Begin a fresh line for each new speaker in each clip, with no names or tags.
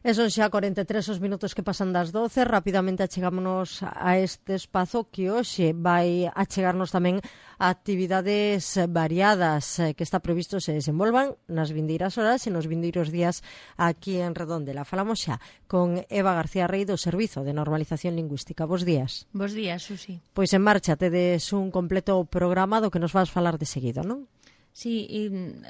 E son xa 43 os minutos que pasan das 12. Rapidamente achegámonos a este espazo que hoxe vai achegarnos tamén a actividades variadas que está previsto se desenvolvan nas vindeiras horas e nos vindeiros días aquí en Redondela. Falamos xa con Eva García Rey do Servizo de Normalización Lingüística. Bos días.
Bos días, Susi.
Pois en marcha tedes un completo programa do que nos vas falar de seguido, non?
Sí,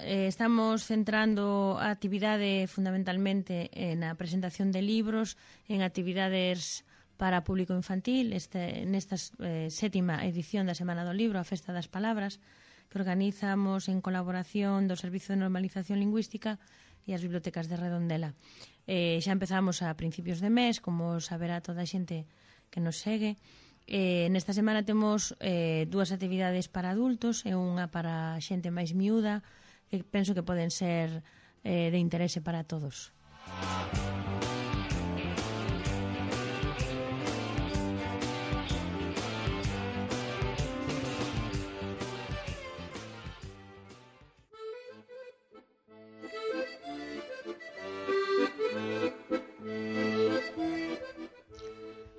estamos centrando a actividade fundamentalmente na presentación de libros, en actividades para público infantil, nesta sétima edición da Semana do Libro, a Festa das Palabras, que organizamos en colaboración do Servizo de Normalización Lingüística e as bibliotecas de Redondela. Xa empezamos a principios de mes, como saberá toda a xente que nos segue. Nesta semana temos dúas actividades para adultos e unha para xente máis miúda que penso que poden ser de interese para todos.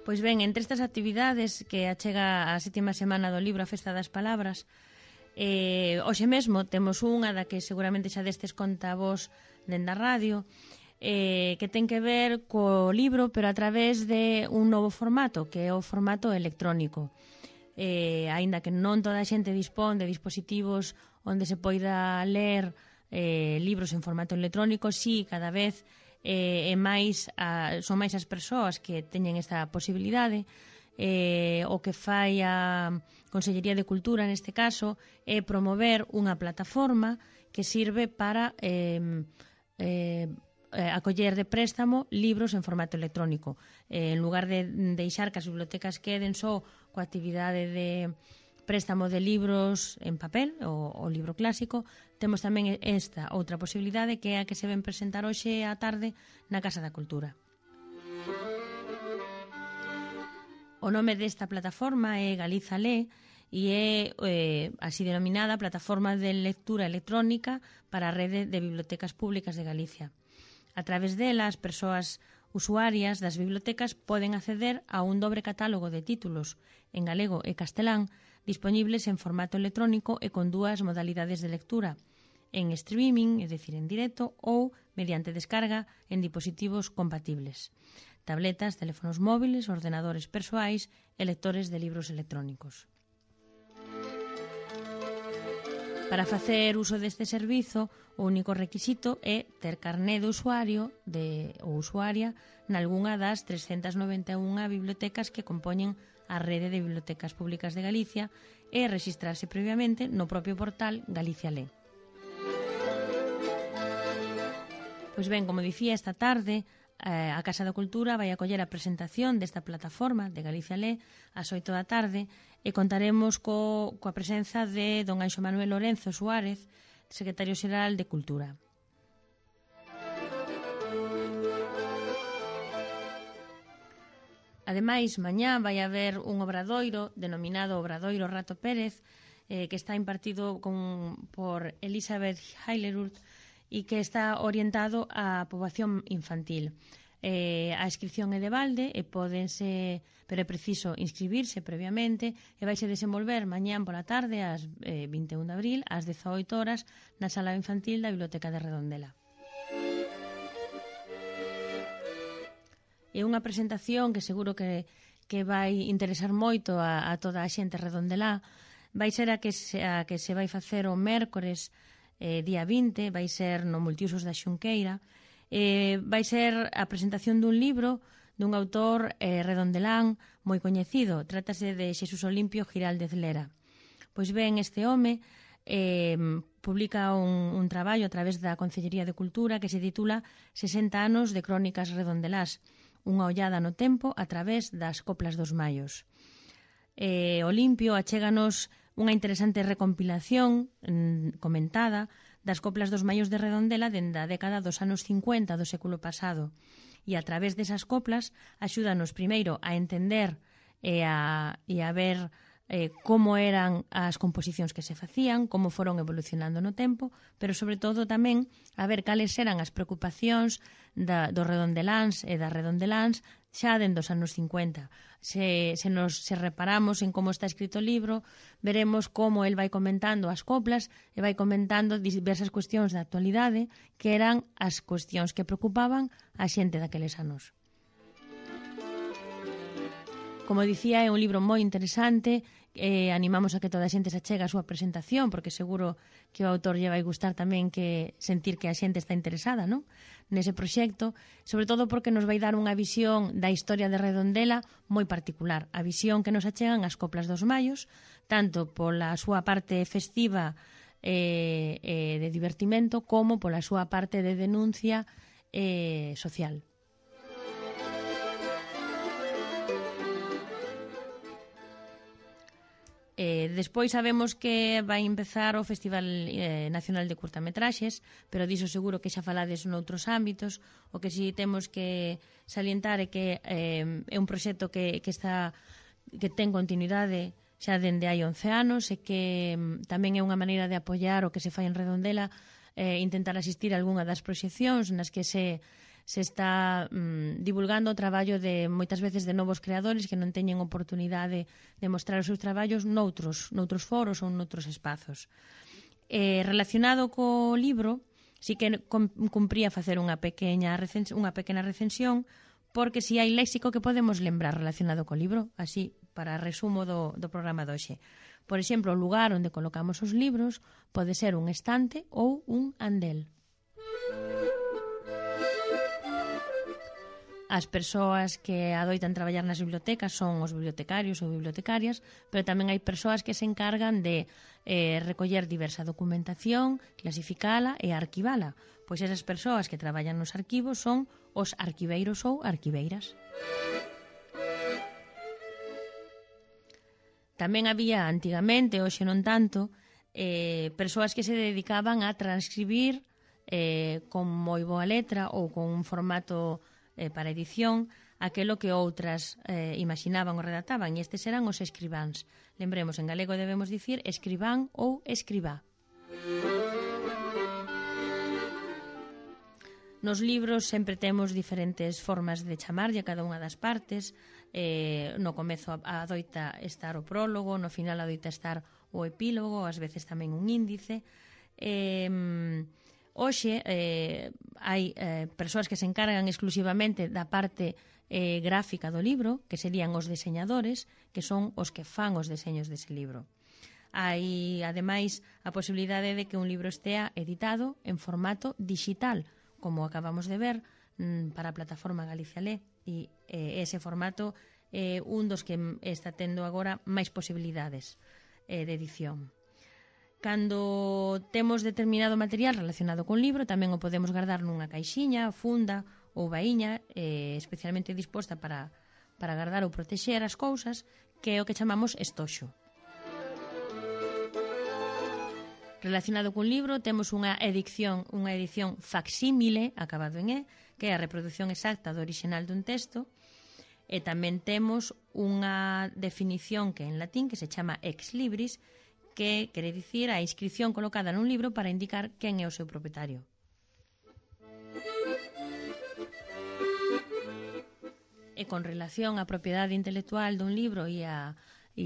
Pois ben, entre estas actividades que achega a sétima semana do libro A Festa das Palabras, hoxe mesmo temos unha da que seguramente xa destes conta vos dende a radio, que ten que ver co libro, pero a través de un novo formato, que é o formato electrónico. Aínda que non toda a xente dispón de dispositivos onde se poida ler libros en formato electrónico, sí, cada vez son máis as persoas que teñen esta posibilidade. O que fai a Consellería de Cultura neste caso é promover unha plataforma que sirve para acoller de préstamo libros en formato electrónico. En lugar de deixar que as bibliotecas queden só coa actividade de préstamo de libros en papel, o libro clásico, temos tamén esta outra posibilidade que é a que se ven presentar hoxe á tarde na Casa da Cultura. O nome desta plataforma é Galiza Lé e é así denominada Plataforma de Lectura Electrónica para a Rede de Bibliotecas Públicas de Galicia. A través dela, as persoas usuarias das bibliotecas poden acceder a un dobre catálogo de títulos en galego e castelán dispoñibles en formato electrónico e con dúas modalidades de lectura, en streaming, é dicir, en directo, ou mediante descarga en dispositivos compatibles, tabletas, teléfonos móviles, ordenadores persoais e lectores de libros electrónicos. Para facer uso deste servizo, o único requisito é ter carné de usuario ou usuaria nalgunha das 391 bibliotecas que compoñen a Rede de Bibliotecas Públicas de Galicia e rexistrarse previamente no propio portal Galicia Lé. Pois ben, como dicía, esta tarde a Casa da Cultura vai acoller a presentación desta plataforma de Galicia Lé ás 8 da tarde e contaremos coa presenza de don Anxo Manuel Lorenzo Suárez, secretario xeral de Cultura. Ademais, mañá vai haber un obradoiro denominado Obradoiro Rato Pérez, que está impartido por Elizabeth Heilerud e que está orientado á poboación infantil. A inscripción é de balde e pero é preciso inscribirse previamente e vaise desenvolver mañán pola tarde ás 21 de abril ás 18 horas na sala infantil da Biblioteca de Redondela. É unha presentación que seguro que vai interesar moito a toda a xente redondelá. Vai ser a que se vai facer o mércores día 20, vai ser no Multiusos da Xunqueira. Vai ser a presentación dun libro dun autor redondelán moi coñecido. Trátase de Xesús Olimpio Giraldez Lera. Pois ben, este home publica un traballo a través da Consellería de Cultura que se titula 60 anos de crónicas redondelás, unha ollada no tempo a través das coplas dos maios. Olimpio achéganos unha interesante recompilación comentada das coplas dos maios de Redondela dende a década dos anos 50 do século pasado. E a través desas coplas axúdanos primeiro a entender e a ver como eran as composicións que se facían, como foron evolucionando no tempo, pero sobre todo tamén a ver cales eran as preocupacións dos redondeláns e das redondeláns xa dentro dos anos 50. Se reparamos en como está escrito o libro, veremos como el vai comentando as coplas e vai comentando diversas cuestións da actualidade que eran as cuestións que preocupaban a xente daqueles anos. Como dicía, é un libro moi interesante, animamos a que toda a xente se achegue a súa presentación, porque seguro que o autor lle vai gustar tamén que sentir que a xente está interesada, non? Nese proxecto, sobre todo porque nos vai dar unha visión da historia de Redondela moi particular, a visión que nos achegan as coplas dos Mallos, tanto pola súa parte festiva de divertimento como pola súa parte de denuncia social. Despois sabemos que vai empezar o Festival Nacional de Curtametraxes, pero diso seguro que xa falades noutros ámbitos. O que si temos que salientar é que é un proxecto que ten continuidade xa dende hai 11 anos e que tamén é unha maneira de apoiar o que se fai en Redondela, intentar asistir a algunha das proxeccións nas que se está divulgando o traballo de moitas veces de novos creadores que non teñen oportunidade de mostrar os seus traballos noutros foros ou noutros espazos. Relacionado co libro, sí que cumpría facer unha pequena recensión, porque si hai léxico que podemos lembrar relacionado co libro, así, para resumo do programa de hoxe. Por exemplo, o lugar onde colocamos os libros pode ser un estante ou un andel. As persoas que adoitan traballar nas bibliotecas son os bibliotecarios ou bibliotecarias, pero tamén hai persoas que se encargan de recoller diversa documentación, clasificala e arquivala. Pois esas persoas que traballan nos arquivos son os arquiveiros ou arquiveiras. Tamén había antigamente, hoxe non tanto, persoas que se dedicaban a transcribir con moi boa letra ou con un formato para edición aquelo que outras imaginaban ou redactaban, e estes eran os escribáns. Lembremos, en galego debemos dicir escribán ou escribá. Nos libros sempre temos diferentes formas de chamarlle a cada unha das partes. No comezo adoita estar o prólogo, no final adoita estar o epílogo, ás veces tamén un índice. Hoxe hai persoas que se encargan exclusivamente da parte gráfica do libro, que serían os deseñadores, que son os que fan os deseños dese libro. Hai, ademais, a posibilidade de que un libro estea editado en formato digital, como acabamos de ver para a plataforma Galicia Lé, e ese formato é un dos que está tendo agora máis posibilidades de edición. Cando temos determinado material relacionado con libro, tamén o podemos guardar nunha caixiña, funda ou baíña especialmente disposta para guardar ou protexer as cousas, que é o que chamamos estoxo. Relacionado cun libro, temos unha edición facsímile, acabado en E, que é a reproducción exacta do orixinal dun texto, e tamén temos unha definición que é en latín, que se chama ex libris, que quere dicir a inscripción colocada nun libro para indicar quen é o seu propietario. E con relación á propiedade intelectual dun libro e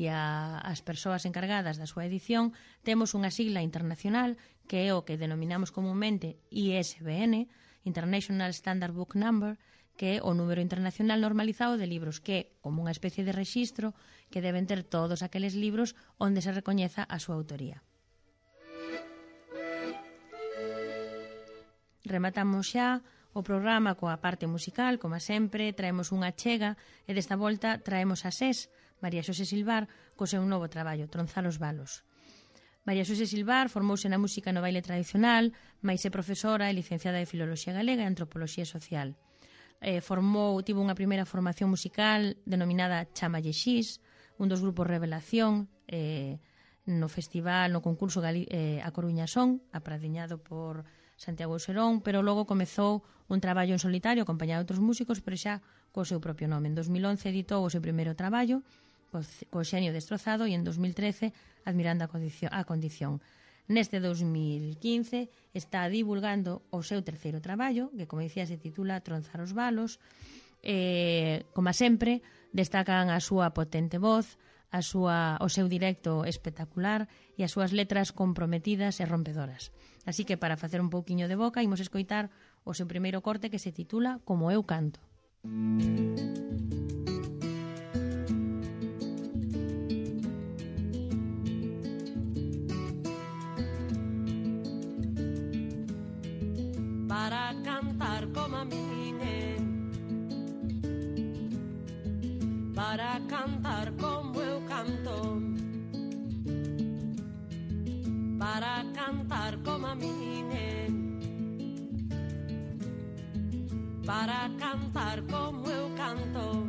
as persoas encargadas da súa edición, temos unha sigla internacional que é o que denominamos comúnmente ISBN, International Standard Book Number, que é o número internacional normalizado de libros, que é como unha especie de rexistro que deben ter todos aqueles libros onde se recoñeza a súa autoría. Rematamos xa o programa coa parte musical, como sempre, traemos unha chega e desta volta traemos a SES, María Xosé Silvar, co seu novo traballo, Tronzar os balos. María Xosé Silvar formouse na música no baile tradicional, mais é profesora e licenciada de Filoloxía Galega e Antropoloxía Social. Tivo unha primeira formación musical denominada Chamalle Xis, un dos grupos Revelación, no festival, no concurso A Coruña Son, apradiñado por Santiago Serón, pero logo comezou un traballo en solitario acompañado de outros músicos, pero xa co seu propio nome. En 2011 editou o seu primeiro traballo, co xenio destrozado e en 2013 Admirando a condición. Neste 2015 está divulgando o seu terceiro traballo, que, como dicía, se titula Tronzar os balos. Como sempre, destacan a súa potente voz, o seu directo espectacular e as súas letras comprometidas e rompedoras. Así que, para facer un pouquiño de boca, imos escoitar o seu primeiro corte, que se titula Como eu canto.
Para cantar como a min, para cantar como eu canto, para cantar como a min, para cantar como eu canto.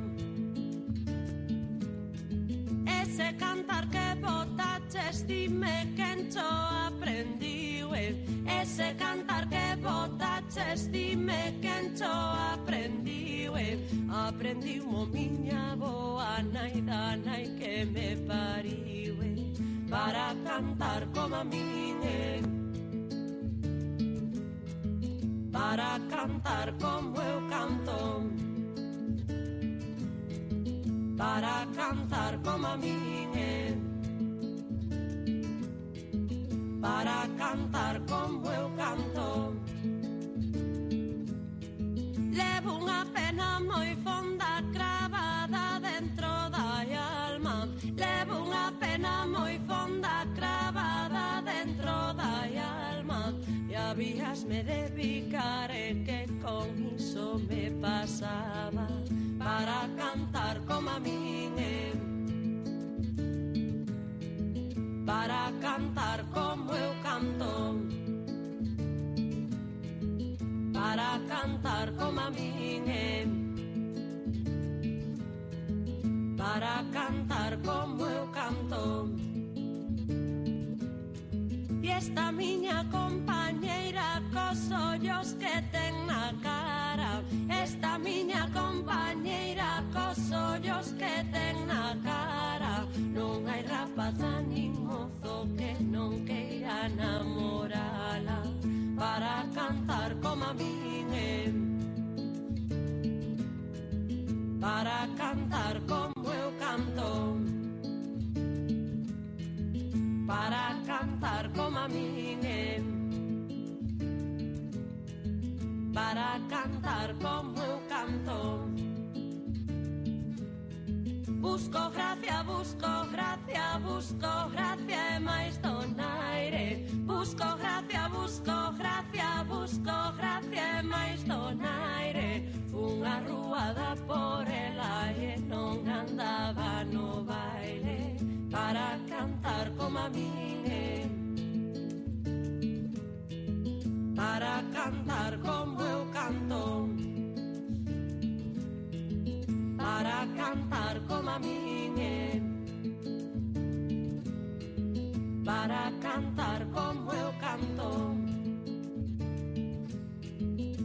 Ese cantar que botaches, dime quen cho aprendiu, ese cantar que botaches, dime quen cho aprendiu, aprendiu mo miña boa nai da nai que me pariu, para cantar como a min, para cantar como eu canto, para cantar como a min, para cantar como eu canto. Levo unha pena moi fonda cravada dentro da alma, levo unha pena moi fonda cravada dentro da alma, e habíasme de picar que con iso me pasaba, para cantar como a min, para cantar como eu canto, para cantar como a min, para cantar como eu canto. E esta miña compañeira cos ollos que ten na cara, esta miña compañeira cos ollos que ten na cara, non hai rapaza nin mozo que non queira namorala, para cantar como a min, para cantar como eu canto, para cantar como a min, para cantar como eu canto. Busco gracia, busco gracia, busco gracia e máis donaire, busco gracia, busco gracia, busco gracia e máis donaire. Unha ruada por ela e non andaba no baile, para cantar como a min, para cantar como eu canto, para cantar como a min, para cantar como eu canto,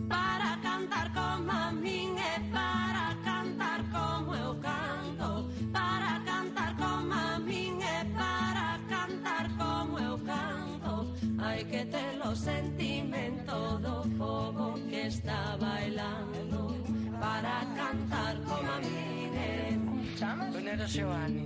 para cantar como a min e para cantar como eu canto, para cantar como a min e para cantar como eu canto. Hai que ter o sentimento do povo que está bailando, para cantar como a min,
Venera Seoane,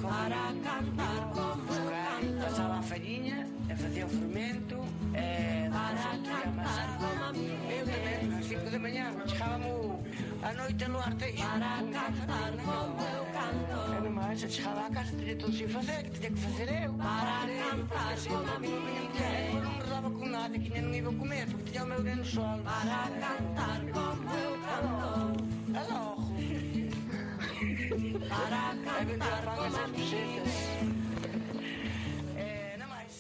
para cantar como eu canto,
pasaba a farinha e facía o fermento,
para cantar como a min,
eu tamén, ás 5 de mañá chegábamos a noite no Arteixo,
para cantar como eu canto,
e nomás chegaba a casa, teria todo sin facer, que teria que facer eu,
para cantar como a min,
eu non me daba con nada, que non iba a comer, porque tiña o meu neno sol,
para cantar como eu canto,
e logo,
para
e vendía
cantar
pan
como a
esas
min,
cosetas, non máis.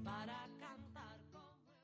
para cantar como eu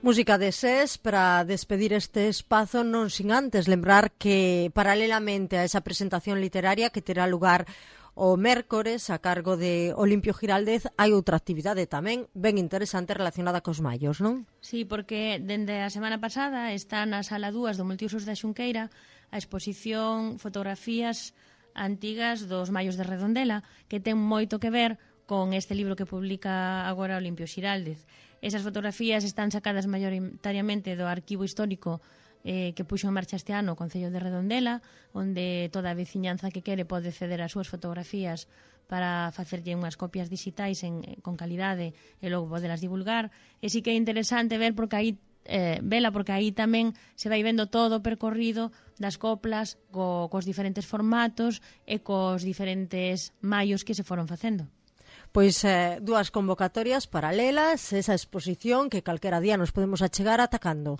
Música de SES para despedir este espazo, non sin antes lembrar que paralelamente a esa presentación literaria que terá lugar O mércores, a cargo de Olimpio Giraldez, hai outra actividade tamén ben interesante relacionada cos mallos, non?
Sí, porque dende a semana pasada está na sala 2 do Multiusos da Xunqueira a exposición Fotografías antigas dos mallos de Redondela, que ten moito que ver con este libro que publica agora Olimpio Xiraldez. Esas fotografías están sacadas maioritariamente do arquivo histórico que puxo en marcha este ano o Concello de Redondela, onde toda a veciñanza que quere pode ceder as súas fotografías para facerlle unhas copias digitais con calidade e logo podelas divulgar. E sí que é interesante ver porque aí porque aí tamén se vai vendo todo o percorrido das coplas cos diferentes formatos e cos diferentes mallos que se foron facendo.
Pois dúas convocatorias paralelas, esa exposición que calquera día nos podemos achegar atacando.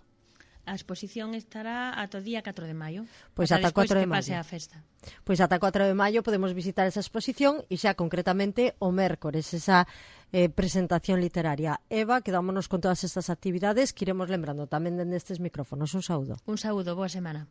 A exposición estará ata o día 4 de maio.
Pois ata 4 de maio.
Pase a festa.
Pois ata 4 de maio podemos visitar esa exposición e xa concretamente o mércores, esa presentación literaria. Eva, quedámonos con todas estas actividades que iremos lembrando tamén dende estes micrófonos. Un saúdo.
Un saúdo, boa semana.